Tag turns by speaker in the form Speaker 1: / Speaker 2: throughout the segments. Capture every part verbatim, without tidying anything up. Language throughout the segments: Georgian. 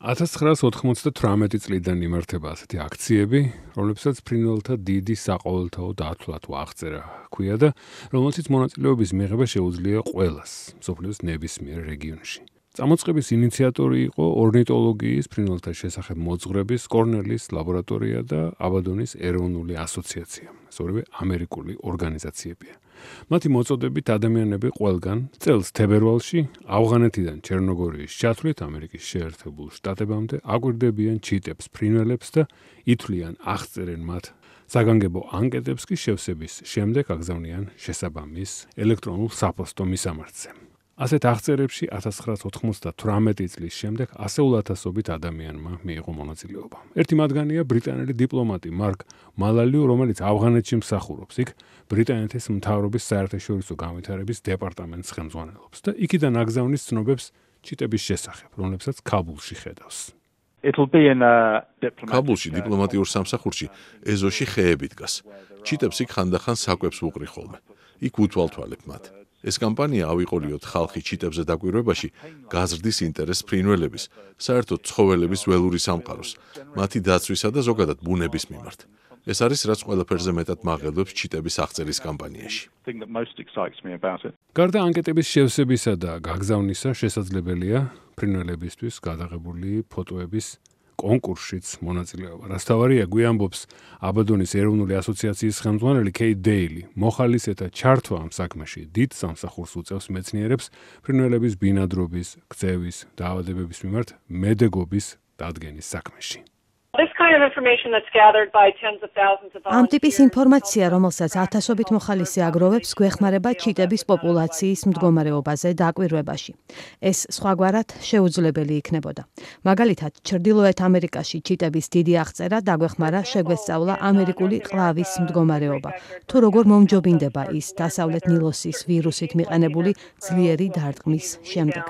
Speaker 1: ათას ცხრაას ოთხმოცდათვრამეტი წლიდან იმართება ასეთი აქციები, რომლებსაც ფრინველთა დიდი საყოველთაო დათვლა თუ აღწერა ჰქვია და რომელშიც მონაწილეობის მიღება შეუძლია ყველას, მსოფლიოს ნებისმიერ რეგიონში. წამოწყების ინიციატორი იყო ორნიტოლოგიის, ფრინველთა შესახებ მოძღვრების, კორნელის ლაბორატორია და აბადონის ეროვნული ასოციაცია. ეს ორივე ამერიკული ორგანიზაციებია. მათი მოწოდებით ადამიანები ყველგან წელს თებერვალში ავღანეთიდან ჩერნოგორიის ჩათვლით ამერიკის შეერთებულ შტატებამდე აკვირდებიან ჩიტებს, ფრინველებს და ითვლიან აღწერენ მათ საგანგებო ანკეტებს კი შევსების შემდეგ აგზავნიან შესაბამის ელექტრონულ საფოსტო მისამართზე. ასეთ აღწერებში ათას ცხრაას ოთხმოცდათვრამეტი წლის შემდეგ ასეულ ათასობით ადამიანმა მიიღო მონაწილეობა. ერთი მათგანია ბრიტანელი დიპლომატი მარკ მალალიუ, რომელიც ავღანეთში მსახურობს. იქ ბრიტანეთის მთავრობის საერთაშორისო განვითარების დეპარტამენტს ხელმძღვანელობს და იქიდან აგზავნის ცნობებს ჩიტების შესახებ, რომლებსაც ქაბულში ხედავს.
Speaker 2: ქაბულში დიპლომატიურ სამსახურში ეზოში ხეები დგას. ჩიტებს იქ ხანდახან საკვებს ვუყრი ხოლმე. იქ უთვალთვალებ მათ. ეს კამპანია ავიყოლიოთ ხალხი ჩიტებზე დაკვირვებაში გაზრდის ინტერესს ფრინველების, საერთოდ ცხოველების ველური სამყაროს, მათი დაცვისა და ზოგადად ბუნების მიმართ. ეს არის რაც ყველაფერზე მეტად მაღელვებს ჩიტების აღწერის კამპანიაში.
Speaker 1: გარდა ანკეტების შევსებისა და გაგზავნისა შესაძლებელია ფრინველებისთვის გადაღებული ფოტოების კონკურსშიც მონაწილეობა. რასთავარია გვიამბობს აბადონის ეროვნული ასოციაციის ხელმძღვანელი კეით დეილი. მოხალისეთა ჩართვა ამ საქმეში დიდ სამსახურს უწევს მეცნიერებს ფრინველების ბინადრობის, ქცევის, დაავადებების მიმართ მედეგობის დადგენის საქმეში.
Speaker 3: ამ ტიპის ინფორმაცია, რომელსაც ათასობით მოხალისე აგროვებს, გვეხმარება ჩიტების პოპულაციის მდგომარეობაზე დაკვირვებაში. ეს სხვაგვარად შეუძლებელი იქნებოდა. მაგალითად, ჩრდილოეთ ამერიკაში ჩიტების დიდი აღწერა დაგვეხმარა შეგვესწავლა ამერიკული ყლავის მდგომარეობა, თუ როგორ მომჯობინდება ის დასავლეთ ნილოსის ვირუსით მიყენებული ძლიერი დარტყმის შემდეგ.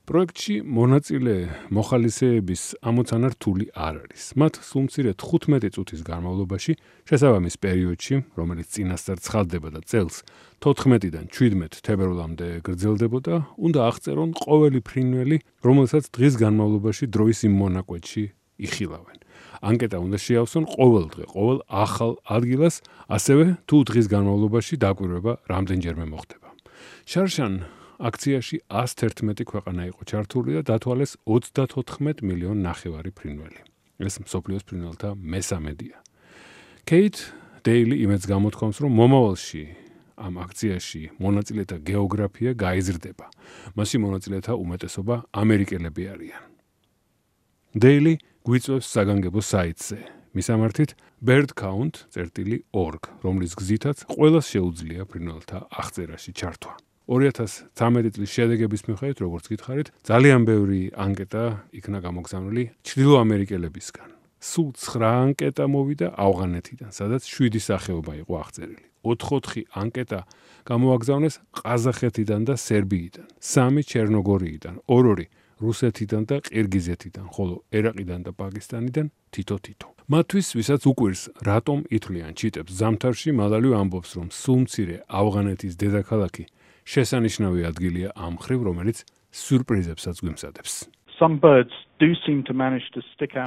Speaker 1: პროექტში მონაწილე მოხალისეების ამოცანა რთული არ არის. მათ სულ მცირე თხუთმეტი წუთის განმავლობაში, შესაბამის პერიოდში, რომელიც წინასწარ ცხადდება და წელს თოთხმეტიდან შვიდმეტ თებერვლამდე გრძელდებოდა, უნდა აღწერონ ყოველი ფრინველი, რომელსაც დღის განმავლობაში დროის იმ მონაკვეთში იხილავენ. ანკეტა უნდა შეავსონ ყოველ დღე, ყოველ ახალ ადგილას, ასევე თუ დღის განმავლობაში დაკვირვება რამდენჯერმე მოხდება. შარშან აქციაში ას თერთმეტი ქვეყანა იყო ჩართული და დათვალეს ოცდათოთხმეტ მილიონ ნახევარი ფრინველი. ეს მსოფლიოს ფრინველთა მესამედია. კეით დეილი იმედს გამოთქვამს, რომ მომავალში ამ აქციაში მონაწილეთა გეოგრაფია გაიზრდება. მასში მონაწილეთა უმეტესობა ამერიკელები არიან. დეილი გვიწვევს საგანგებო საიტზე. მისამართით bird count dot org, რომლის გზითაც ყველას შეუძლია ფრინველთა აღწერაში ჩართვა. ორი ათას ცხრამეტი წლის შედეგების მიხედვით, როგორც გითხარით, ძალიან ბევრი ანკეტა იქნა გამოგზავნილი ჩრდილოამერიკელებისგან. სულ ცხრა ანკეტა მოვიდა ავღანეთიდან, სადაც შვიდი სახეობა იყო აღწერილი. ოთხ-ოთხი ანკეტა გამოაგზავნეს ყაზახეთიდან და სერბიიდან, სამი ჩერნოგორიიდან, ორ-ორი რუსეთიდან და ყირგიზეთიდან, ხოლო ერაყიდან და პაკისტანიდან თითო-თითო. მათთვის, ვისაც უკვირს, რატომ ითვლიან ჩიტებს ზამთარში, მალალიუ ამბობს, რომ სულ მცირე ავღანეთის დედაქალაქი შესანიშნავი ადგილია ამ მხრივ, რომელიც სიურპრიზებსაც გვიმზადებს.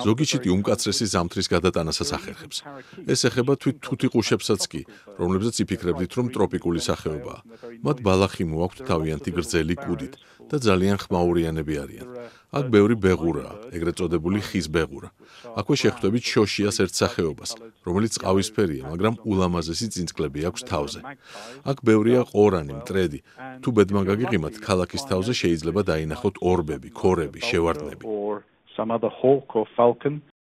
Speaker 2: ზოგი ჩიტი უმკაცრესი ზამთრის გადატანასაც ახერხებს. ეს ეხება თვით თუთიყუშებსაც კი, რომლებზეც იფიქრებდით, რომ ტროპიკული სახეობაა. მათ ბალახი მოაქვთ თავიანთი გრძელი კუდით და ძალიან ხმაურიანები არიან. აქ ბევრი ბეღურაა, ეგრეთ წოდებული ხის ბეღურა. აქვე შეხვდებით შოშიას ერთ სახეობას, რომელიც ყავისფერია, მაგრამ ულამაზესი წინწკლები აქვს თავზე. აქ ბევრია ყორანი, მტრედი. თუ ბედმა გაგიღიმათ, ქალაქის თავზე შეიძლება დაინახოთ ორბები, ქორები, შევარდნები.